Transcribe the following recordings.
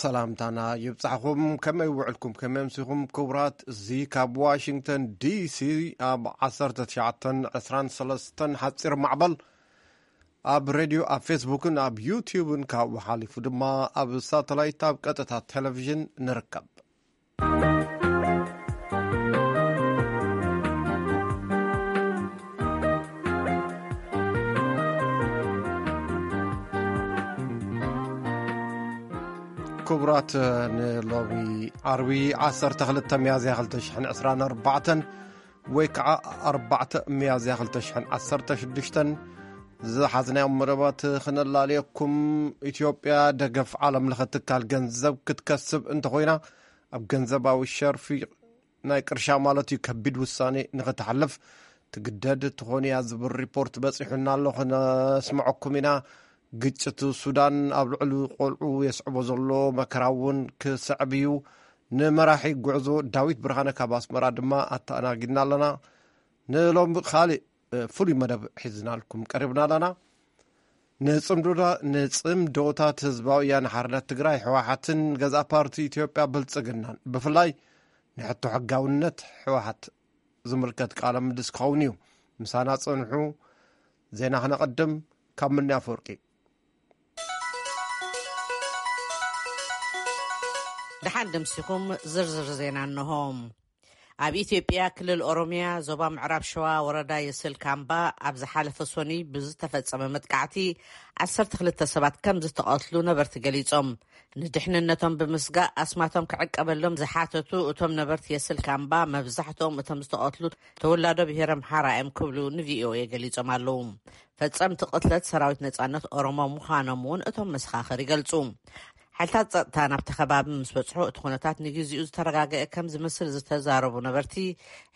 ሰላምታና ይብጻሕኹም። ከመይ ውዕልኩም? ከመይ ኣምሲኹም? ክቡራት፣ እዚ ካብ ዋሽንግተን ዲሲ ኣብ ዓሰርተ ትሽዓተን ዕስራን ሰለስተን ሓጺር ማዕበል ኣብ ሬድዮ፣ ኣብ ፌስቡክን ኣብ ዩትዩብን ካብኡ ሓሊፉ ድማ ኣብ ሳተላይት ኣብ ቀጥታ ቴሌቪዥን ንርከብ። ክቡራት፣ ንሎሚ ዓርቢ ዓሰርተ ክልተ ሚያዝያ ክልተ ሽሕን ዕስራን ኣርባዕተን ወይ ከዓ ኣርባዕተ ሚያዝያ ክልተ ሽሕን ዓሰርተ ሽዱሽተን ዝሓዝናዮም መደባት ክነላልየኩም። ኢትዮጵያ ደገፍ ዓለም ለኸ ትካል ገንዘብ ክትከስብ እንተኾይና፣ ኣብ ገንዘባዊ ሸርፊ ናይ ቅርሻ ማለት እዩ ከቢድ ውሳኔ ንኽትሓልፍ ትግደድ ትኾን እያ ዝብል ሪፖርት በጺሑና ኣሎ፣ ክነስምዐኩም ኢና። ግጭት ሱዳን ኣብ ልዕሊ ቆልዑ የስዕቦ ዘሎ መከራ እውን ክስዕብ እዩ። ንመራሒ ጉዕዞ ዳዊት ብርሃነ ካብ ኣስመራ ድማ ኣተኣናጊድና ኣለና። ንሎሚ ካልእ፣ እ፣ ፍሉይ መደብ ሒዝናልኩም ቀሪብና ኣለና። ንጽምዶዳ-፣ ንጽምዶታት ህዝባዊ ወያነ ሓርነት ትግራይ ህወሓትን ገዛእ ፓርቲ ኢትዮጵያ ብልጽግናን ብፍላይ ንሕቶ ሕጋውነት ህወሓት ዝምልከት ቃለ ምልልስ ክኸውን እዩ። ምሳና ጽንሑ። ዜና ክነቐድም ካብ ምኒ ኣፈወርቂ። ደሓን ደምሲኹም። ዝርዝር ዜና እንሆ። ኣብ ኢትዮጵያ ክልል ኦሮሚያ ዞባ ምዕራብ ሸዋ ወረዳ የስል ካምባ ኣብ ዝሓለፈ ሶኒ ብዝተፈጸመ መጥቃዕቲ ዓሰርተ ክልተ ሰባት ከም ዝተቐትሉ ነበርቲ ገሊጾም። ንድሕንነቶም ብምስጋእ ኣስማቶም ክዕቀበሎም ዝሓተቱ እቶም ነበርቲ የስል ካምባ፣ መብዛሕትኦም እቶም ዝተቐትሉ ተወላዶ ብሄረ ኣምሓራ እዮም ክብሉ ንቪኦኤ ገሊጾም ኣለዉ። ፈጸምቲ ቅትለት ሰራዊት ነጻነት ኦሮሞ ምዃኖም እውን እቶም መሰኻኽር ይገልጹ። ሓይልታት ጸጥታ ናብቲ ከባቢ ምስ በጽሑ፣ እቲ ኩነታት ንግዜኡ ዝተረጋገአ ከም ዝመስል ዝተዛረቡ ነበርቲ፣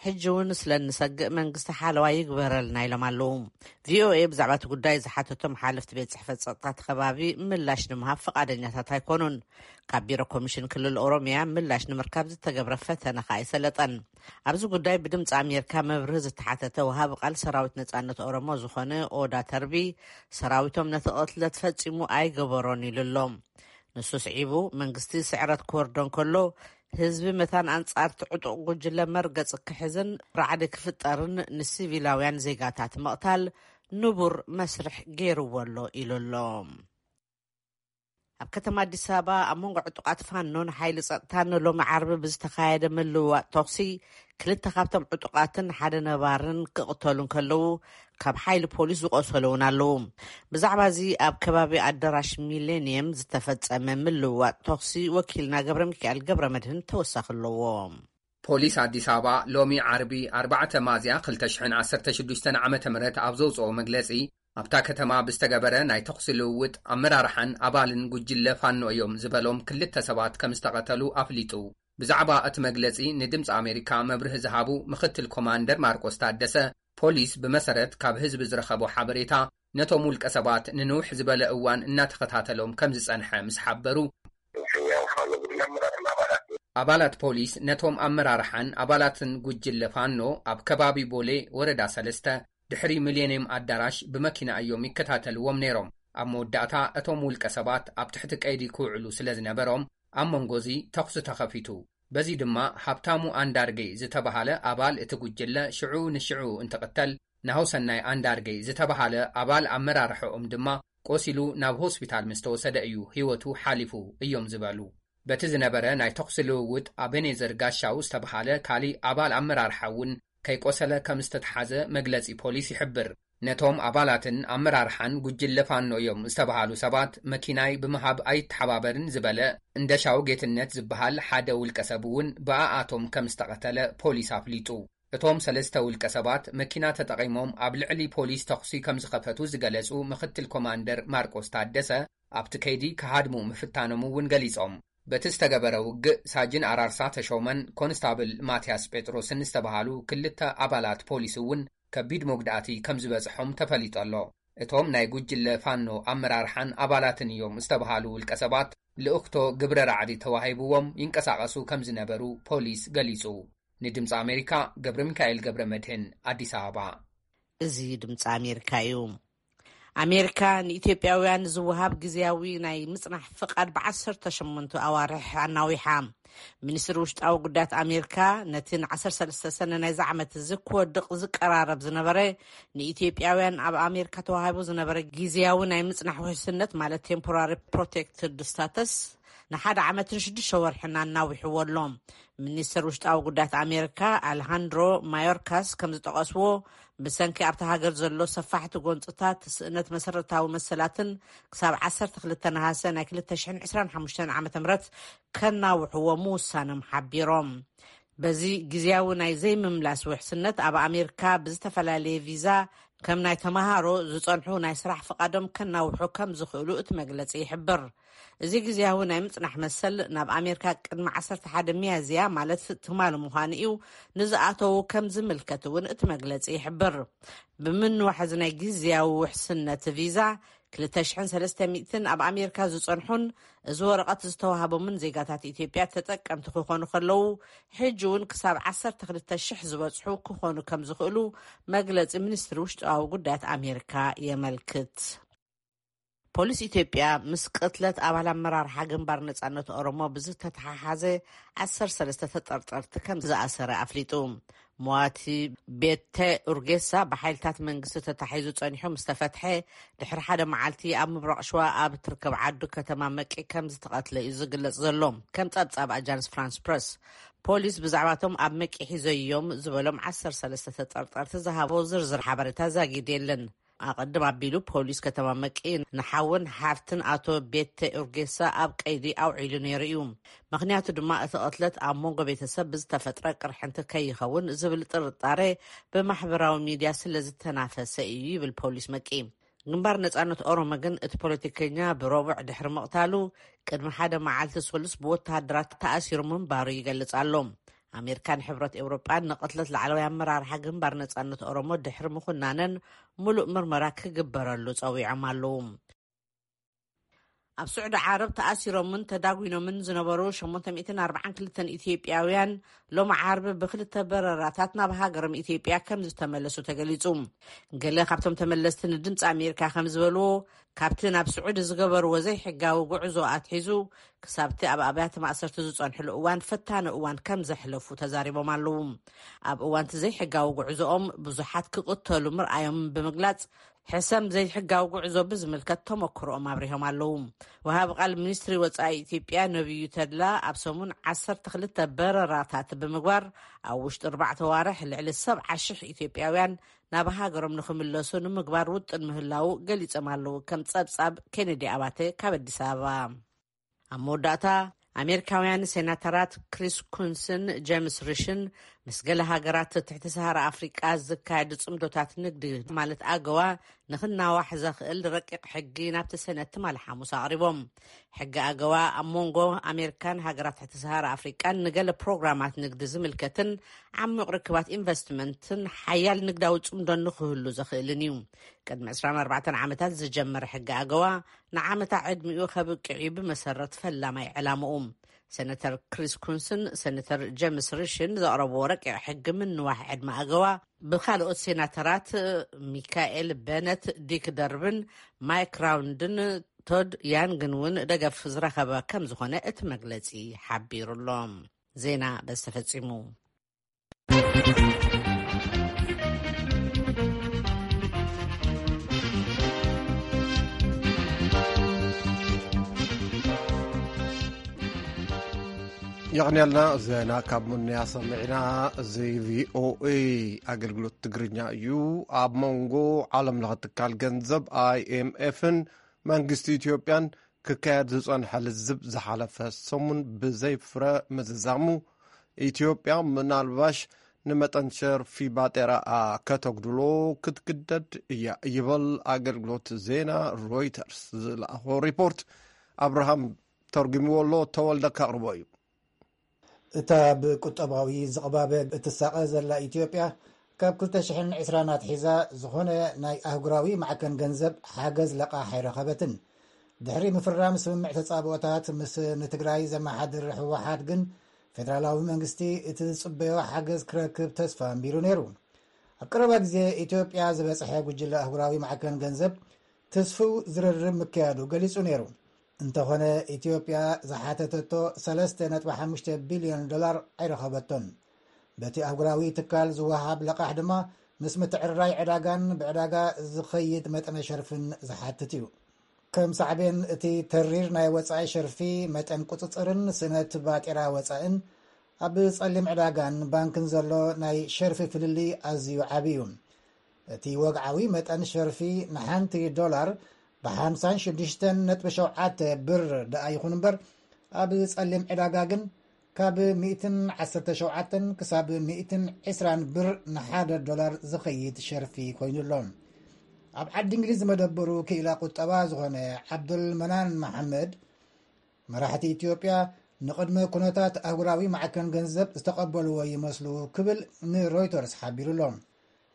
ሕጂ እውን ስለ እንሰግእ መንግስቲ ሓለዋ ይግበረልና ኢሎም ኣለዉ። ቪኦኤ ብዛዕባ እቲ ጉዳይ ዝሓተቶም ሓለፍቲ ቤት ጽሕፈት ጸጥታ እቲ ከባቢ ምላሽ ንምሃብ ፈቓደኛታት ኣይኮኑን። ካብ ቢሮ ኮሚሽን ክልል ኦሮሚያ ምላሽ ንምርካብ ዝተገብረ ፈተነ ከኣ ኣይሰለጠን። ኣብዚ ጉዳይ ብድምፂ ኣሜሪካ መብርሂ ዝተሓተተ ወሃቢ ቃል ሰራዊት ነጻነት ኦሮሞ ዝኾነ ኦዳ ተርቢ፣ ሰራዊቶም ነቲ ቅትለት ፈጺሙ ኣይገበሮን ኢሉ ኣሎ። ንሱ ስዒቡ፣ መንግስቲ ስዕረት ክወርዶ እንከሎ፣ ህዝቢ መታን ኣንጻር እቲ ዕጡቕ ጉጅለ መርገጺ ክሕዝን ራዕዲ ክፍጠርን ንሲቪላውያን ዜጋታት ምቕታል ንቡር መስርሕ ገይርዎ ኣሎ ኢሉ ኣሎ። ኣብ ከተማ ኣዲስ ኣበባ ኣብ መንጎ ዕጡቓት ፋኖን ሓይሊ ጸጥታን ሎሚ ዓርቢ ብዝተኻየደ ምልውዋጥ ተኹሲ፣ ክልተ ካብቶም ዕጡቓትን ሓደ ነባርን ክቕተሉ እንከለዉ፣ ካብ ሓይሊ ፖሊስ ዝቖሰሉ እውን ኣለዉ። ብዛዕባ እዚ ኣብ ከባቢ ኣዳራሽ ሚሌኒየም ዝተፈጸመ ምልውዋጥ ተኹሲ ወኪልና ገብረ ሚካኤል ገብረ መድህን ተወሳኺ ኣለዎ። ፖሊስ ኣዲስ ኣበባ ሎሚ ዓርቢ ኣርባዕተ ሚያዝያ ክልተ ሽሕን ዓሰርተ ሽዱሽተን ዓመተ ምህረት ኣብ ዘውፅኦ መግለፂ፣ ኣብታ ከተማ ብዝተገበረ ናይ ተኹሲ ልውውጥ ኣመራርሓን ኣባልን ጉጅለ ፋኖ እዮም ዝበሎም ክልተ ሰባት ከም ዝተቐተሉ ኣፍሊጡ። ብዛዕባ እቲ መግለፂ ንድምፂ ኣሜሪካ መብርሂ ዝሃቡ ምክትል ኮማንደር ማርቆስ ታደሰ፣ ፖሊስ ብመሰረት ካብ ህዝቢ ዝረኸቦ ሓበሬታ ነቶም ውልቀ ሰባት ንንውሕ ዝበለ እዋን እናተኸታተሎም ከም ዝጸንሐ ምስ ሓበሩ፣ ያው ፋኖ ጉጅለ ኣመራርሓን ኣባላት። ኣባላት ፖሊስ ነቶም ኣመራርሓን ኣባላትን ጉጅለ ፋኖ ኣብ ከባቢ ቦሌ ወረዳ ሰለስተ ድሕሪ ሚሌኒየም ኣዳራሽ ብመኪና እዮም ይከታተልዎም ነይሮም። ኣብ መወዳእታ እቶም ውልቀ ሰባት ኣብ ትሕቲ ቀይዲ ክውዕሉ ስለ ዝነበሮም ኣብ መንጎ እዚ ተኹሲ ተኸፊቱ። በዚ ድማ ሃብታሙ ኣንዳርጌ ዝተባሃለ ኣባል እቲ ጉጅለ ሽዑ ንሽዑ እንትቕተል፣ ናሁሰናይ ኣንዳርጌ ዝተባሃለ ኣባል ኣመራርሓኦም ድማ ቆሲሉ ናብ ሆስፒታል ምስ ተወሰደ እዩ ህይወቱ ሓሊፉ እዮም ዝበሉ። በቲ ዝነበረ ናይ ተኹሲ ልውውጥ ኣቤኔዘር ጋሻው ዝተባሃለ ካሊእ ኣባል ኣመራርሓ እውን ከይቆሰለ ከም ዝተተሓዘ መግለጺ ፖሊስ ይሕብር። ነቶም ኣባላትን ኣመራርሓን ጉጅለ ፋኖ እዮም ዝተባሃሉ ሰባት መኪናይ ብምሃብ ኣይተሓባበርን ዝበለ እንደሻው ጌትነት ዝበሃል ሓደ ውልቀ ሰብ እውን ብኣኣቶም ከም ዝተቐተለ ፖሊስ ኣፍሊጡ። እቶም ሰለስተ ውልቀ ሰባት መኪና ተጠቒሞም ኣብ ልዕሊ ፖሊስ ተኹሲ ከም ዝኸፈቱ ዝገለጹ ምክትል ኮማንደር ማርቆስ ታደሰ፣ ኣብቲ ከይዲ ክሃድሙ ምፍታኖም እውን ገሊጾም። በቲ ዝተገበረ ውግእ ሳጅን ኣራርሳ ተሾመን ኮንስታብል ማትያስ ጴጥሮስን ዝተባሃሉ ክልተ ኣባላት ፖሊስ እውን ከቢድ መጉዳእቲ ከም ዝበጽሖም ተፈሊጡ ኣሎ። እቶም ናይ ጉጅለ ፋኖ ኣመራርሓን ኣባላትን እዮም ዝተባሃሉ ውልቀ ሰባት ልእኽቶ ግብረ ራዕዲ ተዋሂብዎም ይንቀሳቐሱ ከም ዝነበሩ ፖሊስ ገሊጹ። ንድምፂ ኣሜሪካ ገብረ ሚካኤል ገብረ መድህን፣ ኣዲስ ኣበባ። እዚ ድምፂ ኣሜሪካ እዩ። ኣሜሪካ ንኢትዮጵያውያን ዝወሃብ ግዝያዊ ናይ ምጽናሕ ፍቓድ ብ18 ኣዋርሕ ኣናዊሓ። ሚኒስትሪ ውሽጣዊ ጉዳያት ኣሜሪካ ነቲ ን13 ሰነ ናይዚ ዓመት እዚ ክወድቕ ዝቀራረብ ዝነበረ፣ ንኢትዮጵያውያን ኣብ ኣሜሪካ ተዋሂቡ ዝነበረ ግዝያዊ ናይ ምጽናሕ ውሕስነት፣ ማለት ቴምፖራሪ ፕሮቴክትድ ስታተስ፣ ንሓደ ዓመትን ሽዱሽተ ወርሕን ኣናዊሕዎ ኣሎ። ሚኒስትር ውሽጣዊ ጉዳያት ኣሜሪካ ኣልሃንድሮ ማዮርካስ ከም ዝጠቐስዎ፣ ብሰንኪ ኣብታ ሃገር ዘሎ ሰፋሕቲ ጎንፅታት፣ ስእነት መሰረታዊ መሰላትን ክሳብ 12 ነሃሰ ናይ 2025 ዓ ም ከናውሕዎ ምውሳኖም ሓቢሮም። በዚ ግዝያዊ ናይ ዘይምምላስ ውሕስነት፣ ኣብ ኣሜሪካ ብዝተፈላለየ ቪዛ ከም ናይ ተመሃሮ ዝጸንሑ ናይ ስራሕ ፍቓዶም ከናውሑ ከም ዝኽእሉ እቲ መግለጺ ይሕብር። እዚ ግዝያዊ ናይ ምጽናሕ መሰል ናብ ኣሜሪካ ቅድሚ 11 ሚያዝያ፣ ማለት ትማሊ ምዃኑ እዩ፣ ንዝኣተዉ ከም ዝምልከት እውን እቲ መግለጺ ይሕብር። ብምንዋሕ እዚ ናይ ግዝያዊ ውሕስነት ቪዛ፣ 2,300 ኣብ ኣሜሪካ ዝጸንሑን እዚ ወረቐት ዝተዋህቦምን ዜጋታት ኢትዮጵያ ተጠቀምቲ ክኾኑ ከለዉ፣ ሕጂ እውን ክሳብ 12,000 ዝበጽሑ ክኾኑ ከም ዝኽእሉ መግለጺ ሚኒስትሪ ውሽጣዊ ጉዳያት ኣሜሪካ የመልክት። ፖሊስ ኢትዮጵያ ምስ ቅትለት ኣባል ኣመራርሓ ግንባር ነጻነት ኦሮሞ ብዝተተሓሓዘ 13 ተጠርጠርቲ ከም ዝኣሰረ ኣፍሊጡ። ሞዋቲ ቤተ ኡርጌሳ ብሓይልታት መንግስቲ ተታሒዙ ጸኒሑ ምስ ተፈትሐ፣ ድሕሪ ሓደ መዓልቲ ኣብ ምብራቕ ሸዋ ኣብ እትርከብ ዓዱ ከተማ መቂ ከም ዝተቐትለ እዩ ዝግለጽ ዘሎ። ከም ጸብጻብ ኣጃንስ ፍራንስ ፕረስ፣ ፖሊስ ብዛዕባቶም ኣብ መቂ ሒዘዮም ዝበሎም 13 ተጠርጠርቲ ዝሃቦ ዝርዝር ሓበሬታ ዛጊድ የለን። ኣቐድም ኣቢሉ ፖሊስ ከተማ መቂ ንሓውን ሓፍትን ኣቶ ቤተ ኡርጌሳ ኣብ ቀይዲ ኣውዒሉ ነይሩ እዩ። ምኽንያቱ ድማ እቲ ቅትለት ኣብ መንጎ ቤተሰብ ብዝተፈጥረ ቅርሕንቲ ከይኸውን ዝብል ጥርጣሬ ብማሕበራዊ ሚድያ ስለ ዝተናፈሰ እዩ ይብል ፖሊስ መቂ። ግንባር ነጻነት ኦሮሞ ግን እቲ ፖለቲከኛ ብረቡዕ ድሕሪ ምቕታሉ ቅድሚ ሓደ መዓልቲ ሰሉስ ብወተሃደራት ተኣሲሩ ምንባሩ ይገልጽ ኣሎ። ኣሜሪካን ሕብረት ኤውሮጳን ንቕትለት ላዕለዋይ ኣመራርሓ ግንባር ነጻነት ኦሮሞ ድሕሪ ምኹናነን ሙሉእ ምርመራ ክግበረሉ ጸዊዖም ኣለዉ። ኣብ ስዑዲ ዓረብ ተኣሲሮምን ተዳጒኖምን ዝነበሩ 842 ኢትዮጵያውያን ሎሚ ዓርቢ ብክልተ በረራታት ናብ ሃገሮም ኢትዮጵያ ከም ዝተመለሱ ተገሊጹ። ገለ ካብቶም ተመለስቲ ንድምፂ ኣሜሪካ ከም ዝበልዎ፣ ካብቲ ናብ ስዑዲ ዝገበርዎ ዘይሕጋዊ ጉዕዞ ኣትሒዙ ክሳብቲ ኣብ ኣብያተ ማእሰርቲ ዝጸንሕሉ እዋን ፈታኒ እዋን ከም ዘሕለፉ ተዛሪቦም ኣለዉ። ኣብ እዋንቲ ዘይሕጋዊ ጉዕዞኦም ብዙሓት ክቕተሉ ምርኣዮም ብምግላጽ፣ ሕሰም ዘይሕጋዊ ጉዕዞ ብዝምልከት ተመክሮኦም ኣብሪሆም ኣለዉ። ወሃቢ ቃል ሚኒስትሪ ወጻኢ ኢትዮጵያ ነቢዩ ተድላ፣ ኣብ ሰሙን 12 በረራታት ብምግባር፣ ኣብ ውሽጢ ኣርባዕተ ዋርሕ ልዕሊ 70,000 ኢትዮጵያውያን ናብ ሃገሮም ንኽምለሱ ንምግባር ውጥን ምህላዉ ገሊጾም ኣለዉ። ከም ጸብጻብ ኬኔዲ ኣባተ ካብ ኣዲስ ኣበባ። ኣብ መወዳእታ፣ ኣሜሪካውያን ሴናተራት ክሪስ ኩንስን ጀምስ ሪሽን ምስ ገለ ሃገራት ትሕቲ ሰሃራ ኣፍሪቃ ዝካየድ ጽምዶታት ንግዲ፣ ማለት ኣገዋ፣ ንኽናዋሕ ዘኽእል ረቂቕ ሕጊ ናብቲ ሰነት ትማሊ ሓሙስ ኣቕሪቦም። ሕጊ ኣገዋ ኣብ መንጎ ኣሜሪካን ሃገራት ትሕቲ ሰሃራ ኣፍሪቃን ንገለ ፕሮግራማት ንግዲ ዝምልከትን ዓሚቕ ርክባት ኢንቨስትመንትን ሓያል ንግዳዊ ጽምዶ ንኽህሉ ዘኽእልን እዩ። ቅድሚ 24 ዓመታት ዝጀመረ ሕጊ ኣገዋ ንዓመታ ዕድሚኡ ከብቅዕ እዩ ብመሰረት ፈላማይ ዕላምኡ። ሰነተር ክሪስ ኩንስን ሰነተር ጀምስ ሪሽን ዘቕረብዎ ረቂቕ ሕጊ ምንዋሕ ዕድመ ኣገዋ ብካልኦት ሴናተራት ሚካኤል በነት፣ ዲክ ደርብን ማይክ ራውንድን ቶድ ያንግን እውን ደገፍ ዝረኸበ ከም ዝኾነ እቲ መግለጺ ሓቢሩ ኣሎ። ዜና በዚ ተፈጺሙ። የቕንየልና። ዜና ካብ ሙንያ ሰሚዕና። እዚ ቪኦኤ ኣገልግሎት ትግርኛ እዩ። ኣብ መንጎ ዓለም ለኸ ትካል ገንዘብ ኣይኤምኤፍን መንግስቲ ኢትዮጵያን ክካየድ ዝጸንሐ ልዝብ ዝሓለፈ ሰሙን ብዘይ ፍረ ምዝዛሙ፣ ኢትዮጵያ ምናልባሽ ንመጠን ሸርፊ ባጤራኣ ከተጉድሎ ክትግደድ እያ ይበል ኣገልግሎት ዜና ሮይተርስ ዝለኣኾ ሪፖርት። ኣብርሃም ተርጉምዎ ኣሎ፣ ተወልደ ከቕርቦ እዩ። እታ ብቁጠባዊ ዝቕባበ እትሳቐ ዘላ ኢትዮጵያ፣ ካብ 2020 ኣትሒዛ ዝኾነ ናይ ኣህጉራዊ ማዕከን ገንዘብ ሓገዝ ለቓሕ ኣይረኸበትን። ድሕሪ ምፍራም ስምምዕ ተጻብኦታት ምስ ንትግራይ ዘመሓድር ህወሓት ግን፣ ፌደራላዊ መንግስቲ እቲ ዝጽበዮ ሓገዝ ክረክብ ተስፋ ኣንቢሩ ነይሩ። ኣብ ቀረባ ግዜ ኢትዮጵያ ዝበጽሐ ጉጅለ ኣህጉራዊ ማዕከን ገንዘብ ትስፍው ዝርርብ ምክያዱ ገሊጹ ነይሩ። እንተኾነ፣ ኢትዮጵያ ዝሓተተቶ ሰለስተ ነጥቢ ሓሙሽተ ቢልዮን ዶላር ኣይረኸበቶን። በቲ ኣህጉራዊ ትካል ዝወሃብ ለቓሕ ድማ ምስ ምትዕርራይ ዕዳጋን ብዕዳጋ ዝኸይድ መጠነ ሸርፍን ዝሓትት እዩ። ከም ሳዕቤን፣ እቲ ተሪር ናይ ወጻኢ ሸርፊ መጠን ቁጽጽርን ስእነት ባጤራ ወጻእን ኣብ ጸሊም ዕዳጋን ባንክን ዘሎ ናይ ሸርፊ ፍልልይ ኣዝዩ ዓቢ እዩ። እቲ ወግዓዊ መጠን ሸርፊ ንሓንቲ ዶላር ብ ሓምሳን ሽዱሽተን ነጥቢ ሸውዓተ ብር ደኣ ይኹን እምበር፣ ኣብ ጸሊም ዕዳጋ ግን ካብ ሚእትን ዓሰርተ ሸውዓተን ክሳብ ሚእትን ዕስራን ብር ንሓደ ዶላር ዝኸይድ ሸርፊ ኮይኑ ኣሎ። ኣብ ዓዲ እንግሊዝ ዝመደበሩ ክኢላ ቁጠባ ዝኾነ ዓብዱል መናን መሓመድ፣ መራሕቲ ኢትዮጵያ ንቕድመ ኩነታት ኣህጉራዊ ማዕከን ገንዘብ ዝተቐበልዎ ይመስሉ ክብል ንሮይተርስ ሓቢሩ ኣሎ።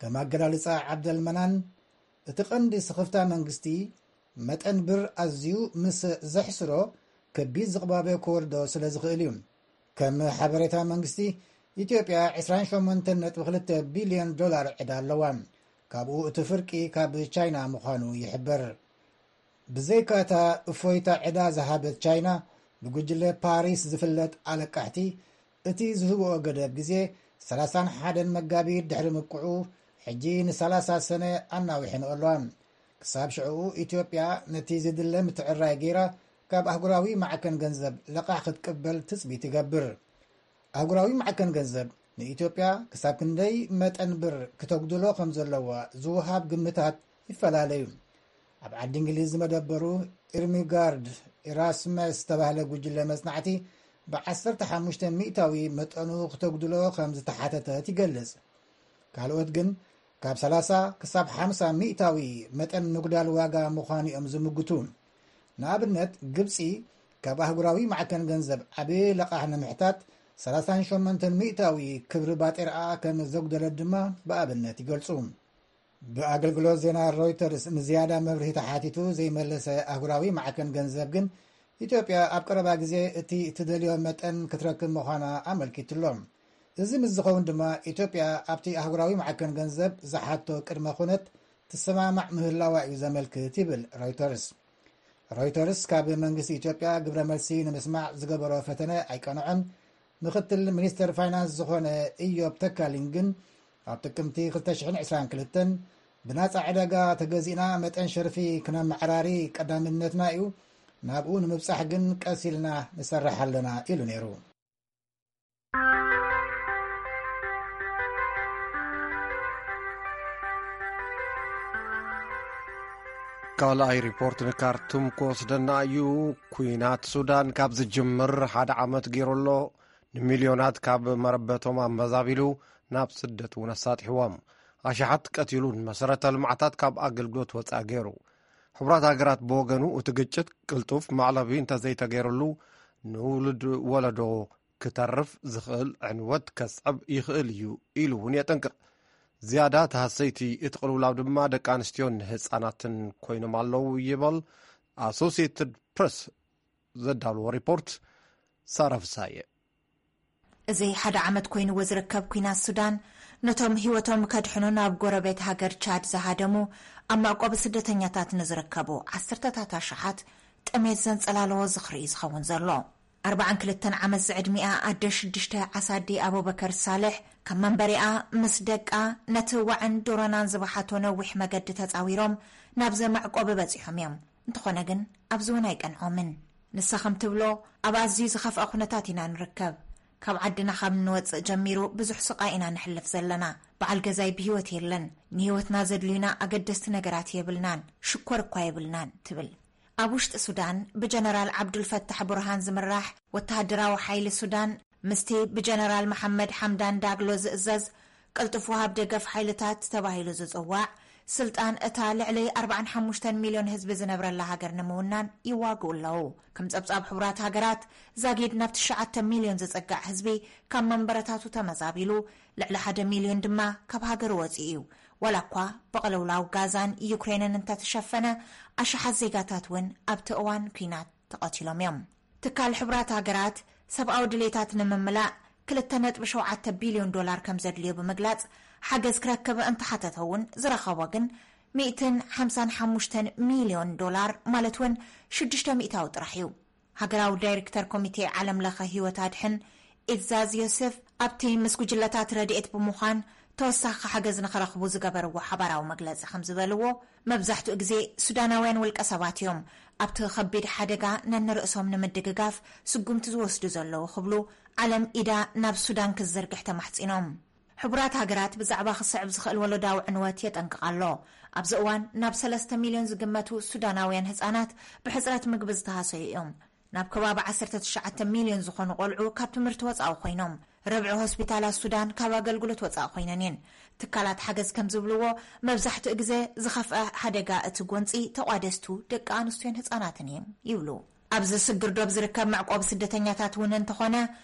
ከም ኣገላልጻ ዓብደል መናን፣ እቲ ቀንዲ ስኽፍታ መንግስቲ መጠን ብር ኣዝዩ ምስ ዘሕስሮ ከቢድ ዝቕባበ ክወርዶ ስለ ዝኽእል እዩ። ከም ሓበሬታ መንግስቲ፣ ኢትዮጵያ ዕስራን ሸሞንተን ነጥቢ ክልተ ቢልዮን ዶላር ዕዳ ኣለዋ። ካብኡ እቲ ፍርቂ ካብ ቻይና ምዃኑ ይሕበር። ብዘይካ'ታ እፎይታ ዕዳ ዝሃበት ቻይና፣ ብጉጅለ ፓሪስ ዝፍለጥ ኣለቃሕቲ፣ እቲ ዝህብኦ ገደብ ግዜ ሰላሳን ሓደን መጋቢት ድሕሪ ምብቅዑ፣ ሕጂ ንሰላሳ ሰነ ኣናዊሐንኦ ኣለዋ። ክሳብ ሽዕኡ፣ ኢትዮጵያ ነቲ ዝድለ ምትዕርራይ ገይራ፣ ካብ ኣህጉራዊ ማዕከን ገንዘብ ለቓሕ ክትቅበል ትጽቢት ይገብር። ኣህጉራዊ ማዕከን ገንዘብ ንኢትዮጵያ ክሳብ ክንደይ መጠን ብር ክተጉድሎ ከም ዘለዋ ዝወሃብ ግምታት ይፈላለዩ። ኣብ ዓዲ እንግሊዝ ዝመደበሩ ኢርሚጋርድ ኢራስመስ ዝተባህለ ጉጅለ መጽናዕቲ፣ ብ ዓሰርተ ሓሙሽተ ሚእታዊ መጠኑ ክተጉድሎ ከም ዝተሓተተት ይገልጽ። ካልኦት ግን ካብ ሰላሳ ክሳብ ሓምሳ ሚእታዊ መጠን ምጉዳል ዋጋ ምዃኑ እዮም ዝምግቱ። ንኣብነት፣ ግብጺ ካብ ኣህጉራዊ ማዕከን ገንዘብ ዓቢ ለቓሕ ንምሕታት ሰላሳን ሸሞንተን ሚእታዊ ክብሪ ባጤራኣ ከም ዘጉደለት ድማ ብኣብነት ይገልጹ። ብኣገልግሎት ዜና ሮይተርስ ንዝያዳ መብርሂ ተሓቲቱ ዘይመለሰ ኣህጉራዊ ማዕከን ገንዘብ ግን፣ ኢትዮጵያ ኣብ ቀረባ ግዜ እቲ እትደልዮ መጠን ክትረክብ ምዃና ኣመልኪቱ ኣሎ። እዚ ምስ ዝኸውን ድማ፣ ኢትዮጵያ ኣብቲ ኣህጉራዊ ማዕከን ገንዘብ ዝሓቶ ቅድመ ኩነት ትሰማማዕ ምህላዋ እዩ ዘመልክት ይብል ሮይተርስ። ሮይተርስ ካብ መንግስቲ ኢትዮጵያ ግብረ መልሲ ንምስማዕ ዝገበሮ ፈተነ ኣይቀንዖን። ምክትል ሚኒስተር ፋይናንስ ዝኾነ ኢዮብ ተካሊን ግን፣ ኣብ ጥቅምቲ ክልተ ሽሕን ዕስራን ክልተን ብናጻ ዕዳጋ ተገዚእና መጠን ሸርፊ ክነመዓራሪ ቀዳምነትና እዩ፣ ናብኡ ንምብጻሕ ግን ቀስ ኢልና ንሰርሕ ኣለና ኢሉ ነይሩ። ካልኣይ ሪፖርት ንካርቱም ክወስደና እዩ። ኩናት ሱዳን ካብ ዝጅምር ሓደ ዓመት ገይሩ ኣሎ። ንሚልዮናት ካብ መረበቶም ኣመዛቢሉ ናብ ስደት እውን ኣሳጢሕዎም። ኣሽሓት ቀቲሉን መሰረተ ልምዓታት ካብ ኣገልግሎት ወፃኢ ገይሩ። ሕቡራት ሃገራት ብወገኑ፣ እቲ ግጭት ቅልጡፍ መዕለቢ እንተዘይተገይሩሉ፣ ንውሉድ ወለዶ ክተርፍ ዝኽእል ዕንወት ከስዕብ ይኽእል እዩ ኢሉ እውን የጠንቅቕ። ዝያዳ ተሃሰይቲ እቲ ቅልውላው ድማ ደቂ ኣንስትዮን ህፃናትን ኮይኖም ኣለዉ ይበል ኣሶሲየትድ ፕረስ ዘዳልዎ ሪፖርት። ሳራ ፍሳየ። እዚ ሓደ ዓመት ኮይንዎ ዝርከብ ኲናት ሱዳን፣ ነቶም ህይወቶም ከድሕኑ ናብ ጎረቤት ሃገር ቻድ ዝሃደሙ፣ ኣብ መዕቆቢ ስደተኛታት ንዝርከቡ ዓሰርተታት ኣሽሓት ጥሜት ዘንጸላለዎ ዝኽሪ እዩ ዝኸውን ዘሎ። ኣርባዓን ክልተን ዓመት ዝዕድሚኣ ኣደ ሽዱሽተ ዓሳዲ ኣቡበከር ሳልሕ፣ ካብ መንበሪኣ ምስ ደቃ ነቲ ዋዕን ዶሮናን ዝበሓቶ ነዊሕ መገዲ ተጻዊሮም ናብዚ መዕቆቢ በጺሖም እዮም። እንተኾነ ግን፣ ኣብዚ እውን ኣይቀንዖምን። ንሳ ከም ትብሎ፣ ኣብ ኣዝዩ ዝኸፍአ ኩነታት ኢና ንርከብ። ካብ ዓድና ካብ እንወጽእ ጀሚሩ ብዙሕ ስቓይ ኢና ነሕልፍ ዘለና። በዓል ገዛይ ብህይወት የለን። ንህይወትና ዘድልዩና ኣገደስቲ ነገራት የብልናን፣ ሽኮር እኳ የብልናን፣ ትብል። ኣብ ውሽጢ ሱዳን፣ ብጀነራል ዓብዱልፈታሕ ቡርሃን ዝምራሕ ወተሃደራዊ ሓይሊ ሱዳን፣ ምስቲ ብጀነራል መሓመድ ሓምዳን ዳግሎ ዝእዘዝ ቅልጡፍ ወሃብ ደገፍ ሓይልታት ተባሂሉ ዝጽዋዕ፣ ስልጣን እታ ልዕሊ ኣርባዓን ሓሙሽተን ሚልዮን ህዝቢ ዝነብረላ ሃገር ንምውናን ይዋግኡ ኣለዉ። ከም ጸብጻብ ሕቡራት ሃገራት፣ ዛጊድ ናብ ትሽዓተ ሚልዮን ዝጸጋዕ ህዝቢ ካብ መንበረታቱ ተመዛቢሉ፣ ልዕሊ ሓደ ሚልዮን ድማ ካብ ሃገሩ ወጺኡ እዩ። ዋላ እኳ ብቕልውላው ጋዛን ዩክሬንን እንተተሸፈነ፣ ኣሽሓት ዜጋታት እውን ኣብቲ እዋን ኲናት ተቐቲሎም እዮም። ትካል ሕቡራት ሃገራት ሰብኣዊ ድሌታት ንምምላእ ክልተ ነጥቢ ሸውዓተ ቢልዮን ዶላር ከም ዘድልዮ ብምግላጽ፣ ሓገዝ ክረክብ እንተሓተተ እውን ዝረኸቦ ግን ሚእትን ሓምሳን ሓሙሽተን ሚልዮን ዶላር፣ ማለት እውን ሽዱሽተ ሚእታዊ ጥራሕ እዩ። ሃገራዊ ዳይሬክተር ኮሚቴ ዓለም ለኸ ህይወት ኣድሕን ኢዛዝ ዮሴፍ፣ ኣብቲ ምስ ጉጅለታት ረድኤት ብምዃን ተወሳኺ ሓገዝ ንኽረኽቡ ዝገበርዎ ሓባራዊ መግለጺ ከም ዝበልዎ፣ መብዛሕትኡ ግዜ ሱዳናውያን ውልቀ ሰባት እዮም ኣብቲ ከቢድ ሓደጋ ነንርእሶም ንምድግጋፍ ስጉምቲ ዝወስዱ ዘለዉ ክብሉ፣ ዓለም ኢዳ ናብ ሱዳን ክትዝርግሕ ተማሕጺኖም። ሕቡራት ሃገራት ብዛዕባ ክስዕብ ዝኽእል ወለዳዊ ዕንወት የጠንቅቕ ኣሎ። ኣብዚ እዋን ናብ ሰለስተ ሚልዮን ዝግመቱ ሱዳናውያን ህጻናት ብሕጽረት ምግቢ ዝተሃሰዩ እዮም። ናብ ከባቢ ዓሰርተ ትሽዓተ ሚልዮን ዝኾኑ ቆልዑ ካብ ትምህርቲ ወጻኢ ኮይኖም፣ ርብዒ ሆስፒታላት ሱዳን ካብ ኣገልግሎት ወጻኢ ኮይነን እየን። ትካላት ሓገዝ ከም ዝብልዎ፣ መብዛሕትኡ ግዜ ዝኸፍአ ሓደጋ እቲ ጎንጺ ተቋደስቱ ደቂ ኣንስትዮን ህጻናትን እዮም ይብሉ። ኣብዚ ስግር ዶብ ዝርከብ መዕቆቢ ስደተኛታት እውን እንተኾነ፣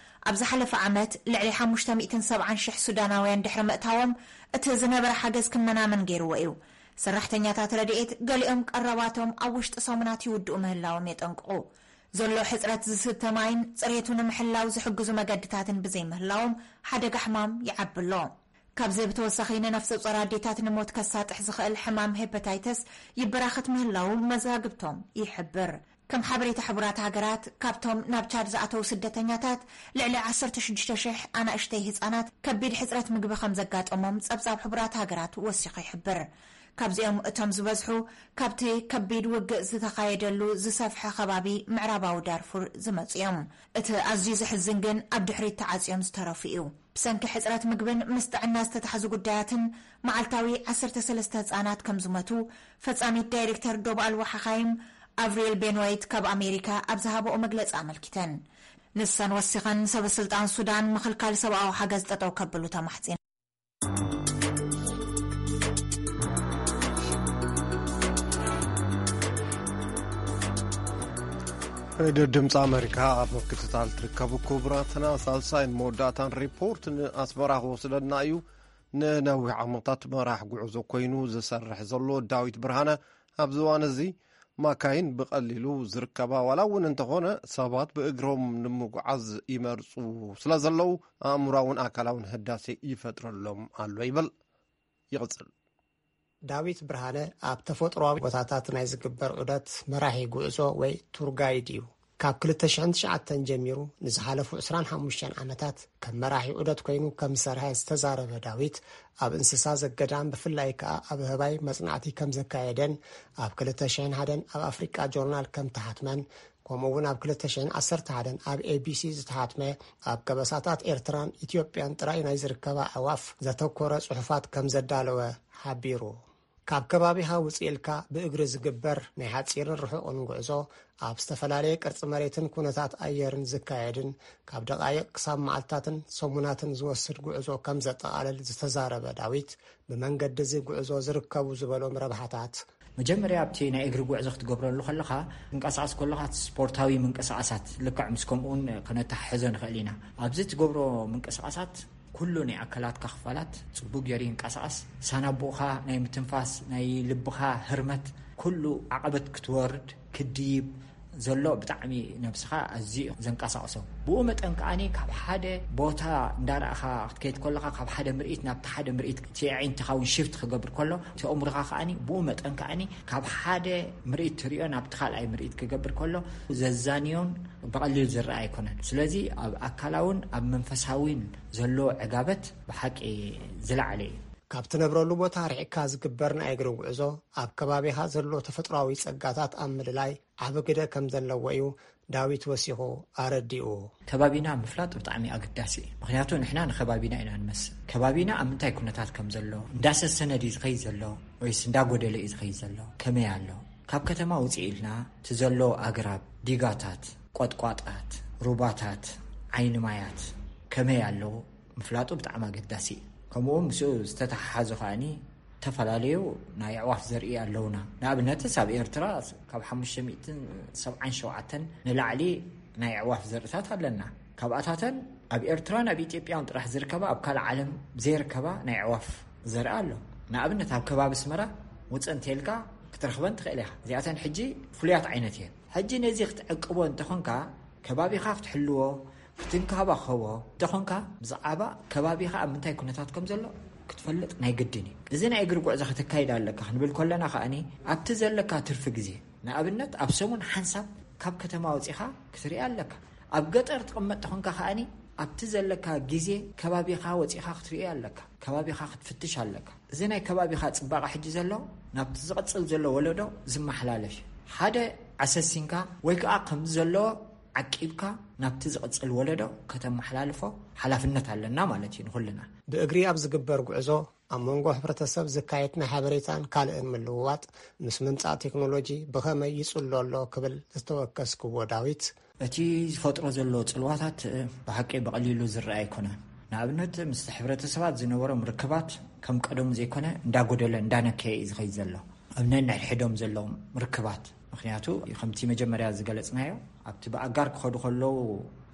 ኣብ ዝሓለፈ ዓመት ልዕሊ ሓሙሽተ ሚእትን ሰብዓን ሽሕ ሱዳናውያን ድሕሪ ምእታዎም፣ እቲ ዝነበረ ሓገዝ ክመናመን ገይርዎ እዩ። ሰራሕተኛታት ረድኤት ገሊኦም ቀረባቶም ኣብ ውሽጢ ሰሙናት ይውድኡ ምህላዎም የጠንቅቑ። ዘሎ ሕጽረት ዝስተ ማይን ጽሬቱ ንምሕላው ዝሕግዙ መገድታትን ብዘይምህላዎም ሓደጋ ሕማም ይዓቢ ኣሎ። ካብዚ ብተወሳኺ ንነፍሰ ጾር ኣዴታት ንሞት ከሳጥሕ ዝኽእል ሕማም ሄፓታይተስ ይበራኸት ምህላው መዛግብቶም ይሕብር። ከም ሓበሬታ ሕቡራት ሃገራት፣ ካብቶም ናብ ቻድ ዝኣተዉ ስደተኛታት ልዕሊ ዓሰርተ ሽዱሽተ ሽሕ ኣናእሽተይ ህጻናት ከቢድ ሕጽረት ምግቢ ከም ዘጋጠሞም ጸብጻብ ሕቡራት ሃገራት ወሲኹ ይሕብር። ካብዚኦም እቶም ዝበዝሑ ካብቲ ከቢድ ውግእ ዝተኻየደሉ ዝሰፍሐ ከባቢ ምዕራባዊ ዳርፉር ዝመጹ እዮም። እቲ ኣዝዩ ዘሕዝን ግን ኣብ ድሕሪት ተዓጽዮም ዝተረፉ እዩ። ብሰንኪ ሕጽረት ምግብን ምስ ጥዕና ዝተታሕዙ ጉዳያትን መዓልታዊ ዓሰርተ ሰለስተ ህጻናት ከም ዝመቱ ፈጻሚት ዳይሬክተር ዶብ ኣልዋ ሓኻይም ኣቭሪል ቤንዋይት ካብ ኣሜሪካ ኣብ ዝሃበኦ መግለጺ ኣመልኪተን። ንሰን ወሲኸን ሰበ ስልጣን ሱዳን ምኽልካል ሰብኣዊ ሓገዝ ጠጠው ከብሉ ተማሕጺነን። ሬድዮ ድምፂ ኣሜሪካ ኣብ ምክትታል ትርከቡ ክቡራትና፣ ሳልሳይን መወዳእታን ሪፖርት ንኣስመራ ክወስደና እዩ። ንነዊሕ ዓመታት መራሕ ጉዕዞ ኮይኑ ዝሰርሕ ዘሎ ዳዊት ብርሃነ፣ ኣብዚ እዋን እዚ ማካይን ብቐሊሉ ዝርከባ ዋላ እውን እንተኾነ፣ ሰባት ብእግሮም ንምጉዓዝ ይመርፁ ስለ ዘለዉ፣ ኣእምራውን ኣካላውን ህዳሴ ይፈጥረሎም ኣሎ ይብል። ይቕፅል። ዳዊት ብርሃነ ኣብ ተፈጥሮኣዊ ቦታታት ናይ ዝግበር ዑደት መራሒ ጉዕዞ ወይ ቱር ጋይድ እዩ። ካብ ክልተ ሽሕን ትሽዓተን ጀሚሩ ንዝሓለፉ ዕስራን ሓሙሽተን ዓመታት ከም መራሒ ዑደት ኮይኑ ከም ዝሰርሐ ዝተዛረበ ዳዊት፣ ኣብ እንስሳ ዘገዳም ብፍላይ ከኣ ኣብ ኣህባይ መጽናዕቲ ከም ዘካየደን ኣብ ክልተ ሽሕን ሓደን ኣብ ኣፍሪቃ ጆርናል ከም ተሓትመን፣ ከምኡ እውን ኣብ ክልተ ሽሕን ዓሰርተ ሓደን ኣብ ኤቢሲ ዝተሓትመ ኣብ ከበሳታት ኤርትራን ኢትዮጵያን ጥራይ ናይ ዝርከባ ኣዕዋፍ ዘተኮረ ጽሑፋት ከም ዘዳለወ ሓቢሩ። ካብ ከባቢኻ ውጽእ ኢልካ ብእግሪ ዝግበር ናይ ሓጺርን ርሑቕን ጉዕዞ፣ ኣብ ዝተፈላለየ ቅርጺ መሬትን ኩነታት ኣየርን ዝካየድን ካብ ደቓይቕ ክሳብ መዓልታትን ሰሙናትን ዝወስድ ጉዕዞ ከም ዘጠቓልል ዝተዛረበ ዳዊት፣ ብመንገዲ እዚ ጉዕዞ ዝርከቡ ዝበሎም ረብሓታት፣ መጀመርያ ኣብቲ ናይ እግሪ ጉዕዞ ክትገብረሉ ከለኻ፣ ትንቀሳቐስ ከለኻ ስፖርታዊ ምንቅስቓሳት ልክዕ ምስ ከምኡውን ከነተሓሕዞ ንኽእል ኢና። ኣብዚ ትገብሮ ምንቅስቓሳት ኩሉ ናይ ኣካላትካ ክፋላት ጽቡቕ ገይሩ ይንቀሳቐስ። ሳናቡእኻ ናይ ምትንፋስ፣ ናይ ልብኻ ህርመት፣ ኩሉ ዓቐበት ክትወርድ፣ ክድይብ ዘሎ ብጣዕሚ ነብስኻ ኣዝዩ እዩ ዘንቀሳቕሶ። ብኡ መጠን ከኣ ካብ ሓደ ቦታ እንዳረኣኻ ክትከይድ ከለኻ፣ ካብ ሓደ ምርኢት ናብቲ ሓደ ምርኢት እቲ ኣዒንትኻ እውን ሽፍት ክገብር ከሎ፣ እቲ ኣእምሮኻ ከኣ ብኡ መጠን ከኣ ካብ ሓደ ምርኢት ትሪኦ ናብቲ ካልኣይ ምርኢት ክገብር ከሎ ዘዛንዮን ብቐሊል ዝረኣ ኣይኮነን። ስለዚ ኣብ ኣካላውን ኣብ መንፈሳዊን ዘሎ ዕጋበት ብሓቂ ዝለዓለ እዩ። ካብ ትነብረሉ ቦታ ርሒቕካ ዝግበር ናይ እግሪ ጉዕዞ፣ ኣብ ከባቢኻ ዘሎ ተፈጥሮኣዊ ጸጋታት ኣብ ምልላይ ዓቢ ግደ ከም ዘለዎ እዩ ዳዊት ወሲኹ ኣረዲኡ። ከባቢና ምፍላጥ ብጣዕሚ ኣገዳሲ እዩ። ምኽንያቱ ንሕና ንከባቢና ኢና ንመስል። ከባቢና ኣብ ምንታይ ኩነታት ከም ዘሎ፣ እንዳሰሰነ ድዩ ዝኸይድ ዘሎ ወይስ እንዳጎደለ እዩ ዝኸይድ ዘሎ? ከመይ ኣሎ? ካብ ከተማ ውፅእ ኢልና እቲ ዘሎ ኣግራብ፣ ዲጋታት፣ ቆጥቋጣት፣ ሩባታት፣ ዓይኒ ማያት ከመይ ኣለዉ ምፍላጡ ብጣዕሚ ኣገዳሲ እዩ። ከምኡ ምስኡ ዝተተሓሓዘ ከኣኒ ዝተፈላለዩ ናይ ኣዕዋፍ ዘርኢ ኣለውና። ንኣብነትስ ኣብ ኤርትራ ካብ ሓሙሽተ ሚእትን ሰብዓን ሸውዓተን ንላዕሊ ናይ ኣዕዋፍ ዘርእታት ኣለና። ካብኣታተን ኣብ ኤርትራን ኣብ ኢትዮጵያን ጥራሕ ዝርከባ፣ ኣብ ካልእ ዓለም ዘይርከባ ናይ ኣዕዋፍ ዘርኢ ኣሎ። ንኣብነት ኣብ ከባቢ ኣስመራ ውፅእ እንተይልካ ክትረኽበን ትኽእል ኢኻ። እዚኣተን ሕጂ ፍሉያት ዓይነት እየን። ሕጂ ነዚ ክትዕቅቦ እንተኾንካ፣ ከባቢኻ ክትሕልዎ፣ ክትንከባኸቦ እንተኾንካ፣ ብዛዕባ ከባቢኻ ኣብ ምንታይ ኩነታት ከም ዘሎ ክትፈልጥ ናይ ግድን እዩ። እዚ ናይ እግሪ ጉዕዞ ከተካይድ ኣለካ ክንብል ከለና ከኣኒ ኣብቲ ዘለካ ትርፊ ግዜ፣ ንኣብነት ኣብ ሰሙን ሓንሳብ ካብ ከተማ ወጺኻ ክትርኢ ኣለካ። ኣብ ገጠር ትቕመጥ ተኾንካ ከኣኒ ኣብቲ ዘለካ ግዜ ከባቢኻ ወጺኻ ክትርኢ ኣለካ፣ ከባቢኻ ክትፍትሽ ኣለካ። እዚ ናይ ከባቢኻ ጽባቐ ሕጂ ዘሎ ናብቲ ዝቕጽል ዘሎ ወለዶ ዝመሓላለፍ እዩ። ሓደ ኣሰሲንካ ወይ ከዓ ከምዚ ዘሎ ዓቂብካ ናብቲ ዝቕጽል ወለዶ ከተመሓላልፎ ሓላፍነት ኣለና ማለት እዩ ንኹልና። ብእግሪ ኣብ ዝግበር ጉዕዞ ኣብ መንጎ ሕብረተሰብ ዝካየድ ናይ ሓበሬታን ካልእን ምልውዋጥ ምስ ምምጻእ ቴክኖሎጂ ብኸመይ ይጽሎ ኣሎ ክብል ዝተወከስክዎ ዳዊት፣ እቲ ዝፈጥሮ ዘሎ ጽልዋታት ብሓቂ ብቐሊሉ ዝረኣ ኣይኮነን። ንኣብነት ምስ ሕብረተሰባት ዝነበሮም ርክባት ከም ቀደሙ ዘይኮነ እንዳጎደለ እንዳነከየ እዩ ዝኸይድ ዘሎ። ኣብ ነንሕድሕዶም ዘለዎም ርክባት ምኽንያቱ ከምቲ መጀመርያ ዝገለጽናዮ ኣብቲ ብኣጋር ክኸዱ ከለዉ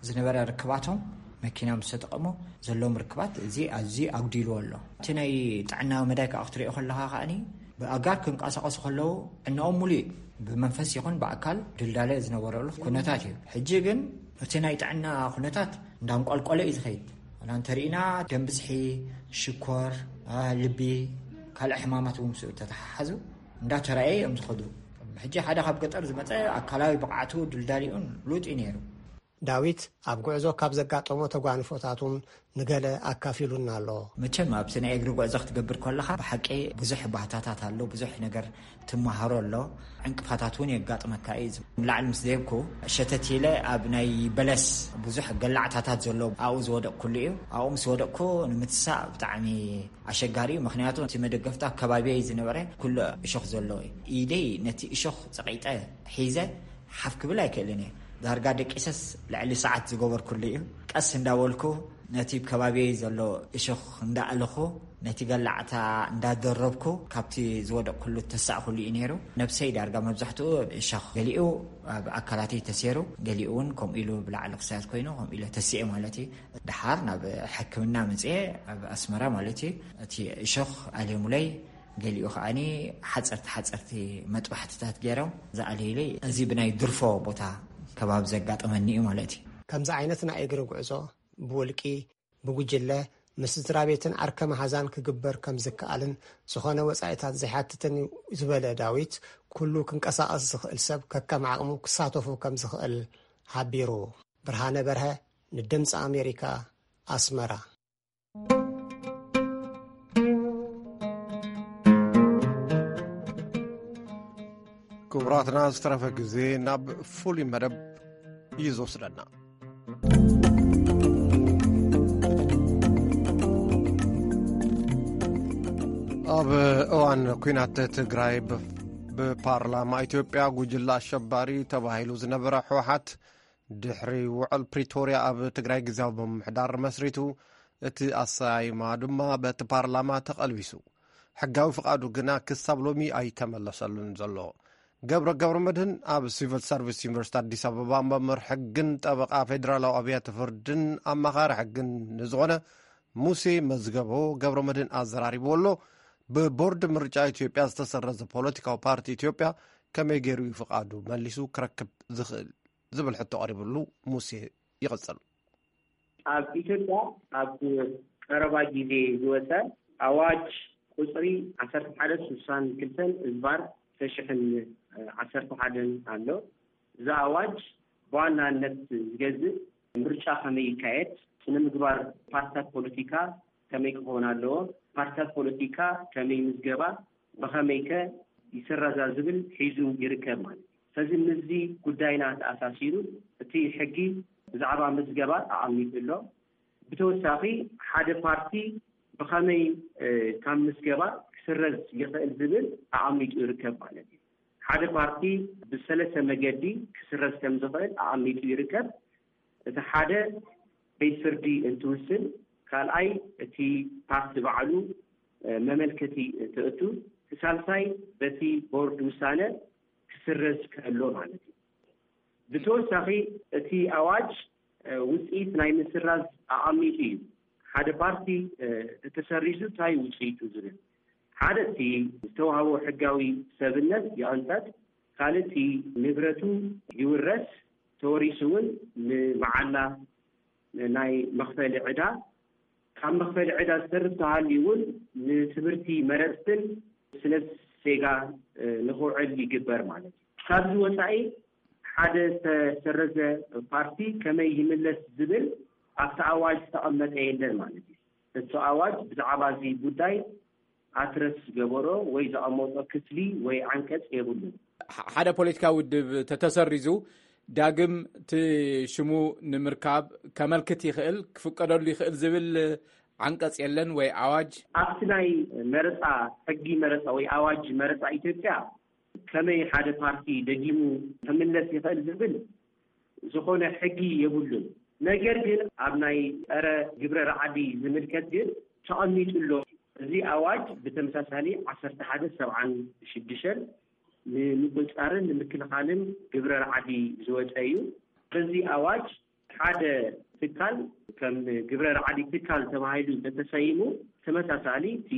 ዝነበረ ርክባቶም መኪና ምስ ተጠቐሙ ዘለዎም ርክባት እዚ ኣዝዩ ኣጉዲልዎ ኣሎ። እቲ ናይ ጥዕና መዳይ ከዓ ክትሪኦ ከለኻ ከኣኒ ብኣጋር ክንቀሳቐሱ ከለዉ ዕናኦም ሙሉ እዩ። ብመንፈስ ይኹን ብኣካል ድልዳለ ዝነበረሉ ኩነታት እዩ። ሕጂ ግን እቲ ናይ ጥዕና ኩነታት እንዳንቋልቋለ እዩ ዝኸይድ። ዋላ እንተሪእና ደም ብዝሒ፣ ሽኮር፣ ልቢ፣ ካልእ ሕማማት እውን ምስኡ ተተሓሓዙ እንዳተራእየ እዮም ዝኸዱ። ሕጂ ሓደ ካብ ገጠር ዝመፀ ኣካላዊ ብቕዓቱ ድልዳሊኡን ሉጥ እዩ ነይሩ። ዳዊት ኣብ ጉዕዞ ካብ ዘጋጠሞ ተጓንፎታት እውን ንገለ ኣካፊሉና ኣሎ። መቸም ኣብቲ ናይ እግሪ ጉዕዞ ክትገብር ከለኻ ብሓቂ ብዙሕ ባህታታት ኣሎ፣ ብዙሕ ነገር ትመሃሮ ኣሎ። ዕንቅፋታት እውን የጋጥመካ እዩ። ላዕሊ ምስ ደየብኩ ሸተት ኢለ ኣብ ናይ በለስ ብዙሕ ገላዕታታት ዘሎ ኣብኡ ዝወደቅኩሉ እዩ። ኣብኡ ምስ ወደቅኩ ንምትሳእ ብጣዕሚ ኣሸጋሪ እዩ። ምኽንያቱ እቲ መደገፍታ ከባቢይ ዝነበረ ኩሉ እሾኽ ዘለዎ እዩ። ኢደይ ነቲ እሾኽ ጸቒጠ ሒዘ ሓፍ ክብል ኣይክእልን እየ። ዳርጋ ደቂሰስ ልዕሊ ሰዓት ዝገበርኩሉ እዩ። ቀስ እንዳበልኩ ነቲ ከባቢይ ዘሎ እሾኽ እንዳእለኹ ነቲ ገላዕታ እንዳደረብኩ ካብቲ ዝወደቅኩሉ ተሳእኩሉ እዩ ነይሩ። ነብሰይ ዳርጋ መብዛሕትኡ እሾኽ ገሊኡ ኣብ ኣካላተይ ተሰይሩ፣ ገሊኡ እውን ከምኡ ኢሉ ብላዕሊ ክሳያት ኮይኑ ከምኡ ኢለ ተሲኤ ማለት እዩ። ደሓር ናብ ሕክምና መፅኤ ኣብ ኣስመራ ማለት እዩ። እቲ እሾኽ ኣልየሙለይ፣ ገሊኡ ከዓኒ ሓፀርቲ ሓፀርቲ መጥባሕትታት ገይሮም ዝኣልዩለይ። እዚ ብናይ ድርፎ ቦታ ከባቢ ዘጋጠመኒ እዩ ማለት እዩ። ከምዚ ዓይነት ናይ እግሪ ጉዕዞ ብውልቂ፣ ብጉጅለ፣ ምስ ስድራ ቤትን ዓርከ መሓዛን ክግበር ከም ዝከኣልን ዝኾነ ወጻኢታት ዘይሓትትን እዩ ዝበለ ዳዊት፣ ኩሉ ክንቀሳቐስ ዝኽእል ሰብ ከከም ዓቕሙ ክሳተፉ ከም ዝኽእል ሓቢሩ። ብርሃነ በርሀ፣ ንድምፂ ኣሜሪካ፣ ኣስመራ። ክቡራትና፣ ዝተረፈ ግዜ ናብ ፍሉይ መደብ እዩ ዝወስደና። ኣብ እዋን ኲናት ትግራይ ብ-፣ ብፓርላማ ኢትዮጵያ ጉጅለ ኣሸባሪ ተባሂሉ ዝነበረ ህወሓት ድሕሪ ውዕል ፕሪቶርያ ኣብ ትግራይ ግዝያዊ ምምሕዳር መስሪቱ፣ እቲ ኣሰያይማ ድማ በቲ ፓርላማ ተቐልቢሱ። ሕጋዊ ፍቓዱ ግና ክሳብ ሎሚ ኣይተመለሰሉን ዘሎ። ገብረ ገብረ መድህን ኣብ ሲቪል ሰርቪስ ዩኒቨርሲቲ ኣዲስ ኣበባ መምህር ሕግን ጠበቓ ፌዴራላዊ ኣብያተ ፍርድን ኣማኻሪ ሕግን ንዝኾነ ሙሴ መዝገቦ ገብረ መድህን ኣዘራሪብዎ ኣሎ። ብቦርድ ምርጫ ኢትዮጵያ ዝተሰረዘ ፖለቲካዊ ፓርቲ ኢትዮጵያ ከመይ ገይሩ እዩ ፍቓዱ መሊሱ ክረክብ ዝኽእል ዝብል ሕቶ ቀሪብሉ። ሙሴ ይቕጽል። ኣብ ኢትዮጵያ ኣብ ቀረባ ግዜ ዝወጸ ኣዋጅ ቁጽሪ ዓሰርተ ሓደ ስሳን ክልተን እዝባር ክልተ ሽሕን ዓሰርተ ሓደን ኣሎ። እዚ ኣዋጅ ብዋናነት ዝገዝእ ምርጫ ከመይ ይካየድ፣ ስነ ምግባር ፓርትታት ፖለቲካ ከመይ ክኸውን ኣለዎ፣ ፓርትታት ፖለቲካ ከመይ ምዝገባ፣ ብኸመይ ከ ይስረዛ ዝብል ሒዙ ይርከብ ማለት እዩ። ስለዚ ምስዚ ጉዳይና ተኣሳሲሩ እቲ ሕጊ ብዛዕባ ምዝገባ ኣቐሚጡ ኣሎ። ብተወሳኺ ሓደ ፓርቲ ብኸመይ፣ እ፣ ካብ ምዝገባ ክስረዝ ይኽእል ዝብል ኣቐሚጡ ይርከብ ማለት እዩ። ሓደ ፓርቲ ብሰለስተ መገዲ ክስረዝ ከም ዝኽእል ኣቐሚጡ ይርከብ። እቲ ሓደ ቤት ፍርዲ እንትውስን፣ ካልኣይ እቲ ፓርቲ ባዕሉ፣ እ፣ መመልከቲ እንትእቱ፣ እቲ ሳልሳይ በቲ ቦርድ ውሳነ ክስረዝ ከሎ ማለት እዩ። ብተወሳኺ እቲ ኣዋጅ፣ እ፣ ውፅኢት ናይ ምስራዝ ኣቐሚጡ እዩ። ሓደ ፓርቲ፣ እ፣ እንተተሰሪዙ እንታይ ውፅኢቱ ዝብል። ሓደ እቲ ዝተዋህቦ ሕጋዊ ሰብነት ይቐንጠጥ፣ ካልእ እቲ ንብረቱ ይውረስ፣ ተወሪሱ እውን ንመዓላ ናይ መኽፈሊ ዕዳ ኣብ መኽፈሊ ዕዳ ዝተርፍ ተሃልዩ እውን ንትምህርቲ መረፅትን ስነ ዜጋ ንኽውዕል ይግበር ማለት እዩ። ካብዚ ወፃኢ ሓደ ዝተሰረዘ ፓርቲ ከመይ ይምለስ ዝብል ኣብቲ ኣዋጅ ዝተቐመጠ የለን ማለት እዩ። እቲ ኣዋጅ ብዛዕባ እዚ ጉዳይ ኣትረስ ዝገበሮ ወይ ዘቐመጦ ክፍሊ ወይ ዓንቀፅ የብሉን። ሓደ ፖለቲካዊ ውድብ ተተሰሪዙ ዳግም እቲ ሽሙ ንምርካብ ከመልክት ይኽእል፣ ክፍቀደሉ ይኽእል ዝብል ዓንቀፅ የለን ወይ ኣዋጅ? ኣብቲ ናይ መረፃ ሕጊ መረፃ ወይ ኣዋጅ መረፃ ኢትዮጵያ ከመይ ሓደ ፓርቲ ደጊሙ ክምለስ ይኽእል ዝብል ዝኾነ ሕጊ የብሉን። ነገር ግን ኣብ ናይ ፀረ ግብረ ራዕዲ ዝምልከት ግን ተቐሚጡ ኣሎ። እዚ ኣዋጅ ብተመሳሳሊ ዓሰርተ ሓደ ሰብዓን ሽዱሽተን ንምቁፃርን ንምክልኻልን ግብረ ራዕዲ ዝወፀ እዩ። በዚ ኣዋጅ ሓደ ትካል ከም ግብረ ራዕዲ ትካል ተባሂሉ እንተተሰይሙ ተመሳሳሊ እቲ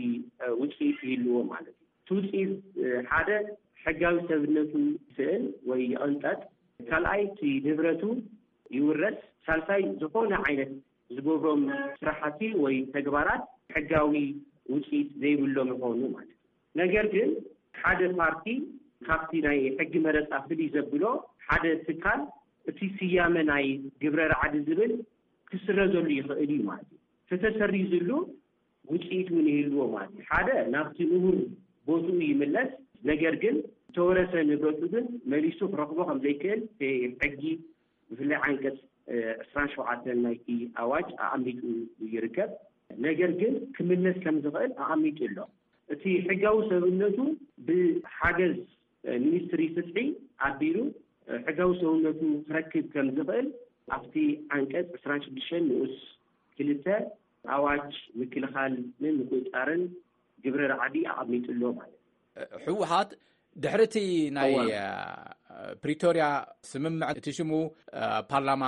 ውፅኢት ይህልዎ ማለት እዩ። እቲ ውፅኢት ሓደ ሕጋዊ ሰብነቱ ይስእን ወይ ይቕንጠጥ፣ ካልኣይ እቲ ንብረቱ ይውረስ፣ ሳልሳይ ዝኾነ ዓይነት ዝገብሮም ስራሕቲ ወይ ተግባራት ሕጋዊ ውፅኢት ዘይብሎም ይኾኑ ማለት እዩ። ነገር ግን ሓደ ፓርቲ ካብቲ ናይ ሕጊ መረፃ ፍልይ ዘብሎ ሓደ ትካል እቲ ስያመ ናይ ግብረ ራዕዲ ዝብል ክስረዘሉ ይኽእል እዩ ማለት እዩ። ተተሰሪዝሉ ውፅኢት እውን ይህልዎ ማለት እዩ። ሓደ ናብቲ ንቡር ቦትኡ ይምለስ፣ ነገር ግን ዝተወረሰ ንብረቱ ግን መሊሱ ክረኽቦ ከም ዘይክእል ሕጊ ብፍላይ ዓንቀፅ ዕስራን ሸውዓተን ናይቲ ኣዋጅ ኣቐሚጡ ይርከብ። ነገር ግን ክምለስ ከም ዝኽእል ኣቐሚጡ ኣሎ። እቲ ሕጋዊ ሰብነቱ ብሓገዝ ሚኒስትሪ ፍትሒ ኣቢሉ ሕጋዊ ሰብነቱ ክረክብ ከም ዝኽእል ኣብቲ ዓንቀፅ ዕስራን ሽዱሽተን ንኡስ ክልተ ኣዋጅ ምክልኻልን ምቁፅፃርን ግብረ ራዕዲ ኣቐሚጡ ኣሎ ማለት እዩ። ህወሓት ድሕሪ እቲ ናይ ፕሪቶርያ ስምምዕ እቲ ሽሙ ፓርላማ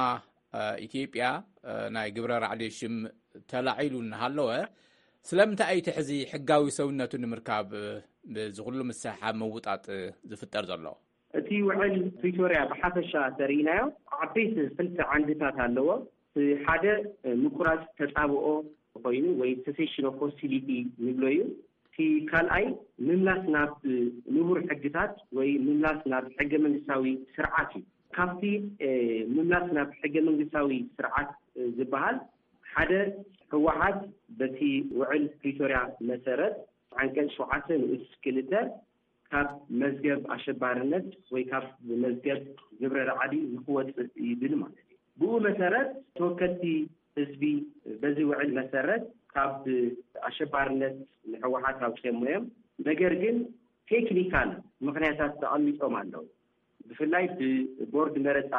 ኢትዮጵያ ናይ ግብረ ራዕዲ ሽም ተላዒሉ እናሃለወ ስለምንታይ እዩ እቲ ሕዚ ሕጋዊ ሰውነቱ ንምርካብ እዚ ኩሉ ምስሕሓብ ምውጣጥ ዝፍጠር ዘሎ? እቲ ውዕል ፕሪቶርያ ብሓፈሻ ተሪኢናዮ ዓበይቲ ክልተ ዓንድታት ኣለዎ። ሓደ ምቁራፅ ተፃብኦ ኮይኑ ወይ cessation of hostility ንብሎ እዩ። እቲ ካልኣይ ምምላስ ናብ ንቡር ሕግታት ወይ ምምላስ ናብ ሕገ መንግስታዊ ስርዓት እዩ። ካብቲ ምምላስ ናብ ሕገ መንግስታዊ ስርዓት ዝበሃል ሓደ ህወሓት በቲ ውዕል ፕሪቶርያ መሰረት ዓንቀፅ ሸውዓተ ንኡስ ክልተ ካብ መዝገብ ኣሸባርነት ወይ ካብ መዝገብ ግብረ ራዕዲ ንክወፅእ ይብል ማለት እዩ። ብኡ መሰረት ተወከልቲ ህዝቢ በዚ ውዕል መሰረት ካብ ኣሸባርነት ንህወሓት ኣውፅኦሞ እዮም። ነገር ግን ቴክኒካል ምኽንያታት ተቐሚጦም ኣለዉ። ብፍላይ ብቦርድ መረፃ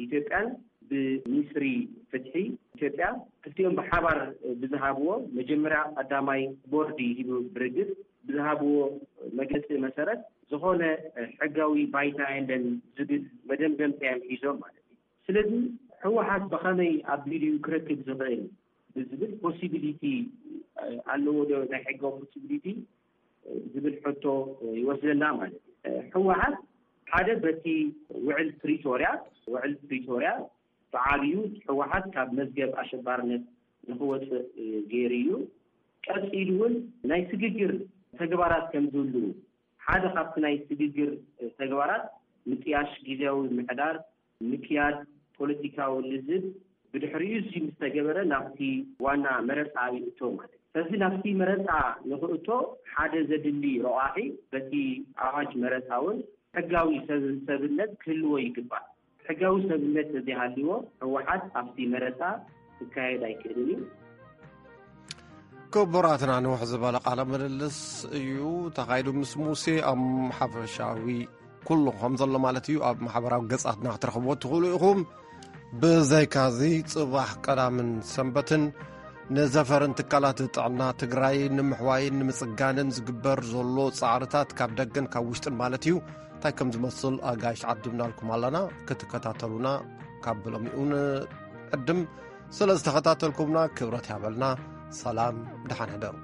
ኢትዮጵያን ብሚኒስትሪ ፍትሒ ኢትዮጵያ ክልቲኦም ብሓባር ብዝሃብዎ መጀመርያ ቀዳማይ ቦርድ ሂቡ ብርግፅ ብዝሃብዎ መግለፂ መሰረት ዝኾነ ሕጋዊ ባይታ የለን ዝብል መደምደምታ እዮም ሒዞም ማለት እዩ። ስለዚ ህወሓት ብኸመይ ኣቢሉ ክረክብ ዝኽእል ብዝብል possibility ኣለዎ ዶ ናይ ሕጋዊ possibility ዝብል ሕቶ ይወስደና ማለት እዩ። ህወሓት ሓደ በቲ ውዕል ፕሪቶርያ ውዕል ፕሪቶርያ ብዓብዩ ህወሓት ካብ መዝገብ ኣሸባርነት ንክወፅእ ገይሩ እዩ። ቀፂሉ እውን ናይ ስግግር ተግባራት ከም ዝህልዉ ሓደ ካብቲ ናይ ስግግር ተግባራት ምጥያሽ ግዝያዊ ምሕዳር ምክያድ ፖለቲካዊ ልዝብ ብድሕሪኡ እዚ ምስ ተገበረ ናብቲ ዋና መረፃ ይእቶ ማለት እዩ። ስለዚ ናብቲ መረፃ ንክእቶ ሓደ ዘድሊ ረቋሒ በቲ ኣዋጅ መረፃ እውን ሕጋዊ ሰብ ሰብነት ክህልዎ ይግባእ። ሕጋዊ ሰብነት ተዘይሃልዎ ህወሓት ኣብቲ መረፃ ክካየድ ኣይክእልን እዩ። ክቡራትና ንውሕ ዝበለ ቃለ ምልልስ እዩ ተኻይዱ ምስ ሙሴ። ኣብ ሓፈሻዊ ኩሉ ከም ዘሎ ማለት እዩ ኣብ ማሕበራዊ ገጻትና ክትረኽብዎ ትኽእሉ ኢኹም። ብዘይካዚ ጽባሕ ቀዳምን ሰንበትን ንዘፈርን ትካላት ጥዕና ትግራይ ንምሕዋይን ንምጽጋንን ዝግበር ዘሎ ጻዕርታት ካብ ደገን ካብ ውሽጥን ማለት እዩ እንታይ ከም ዝመስል ኣጋይሽ ዓዲምናልኩም ኣለና። ክትከታተሉና ካብ ብሎሚኡ ንዕድም። ስለ ዝተኸታተልኩምና ክብረት ያበልና። ሰላም፣ ደሓን ሕደሩ።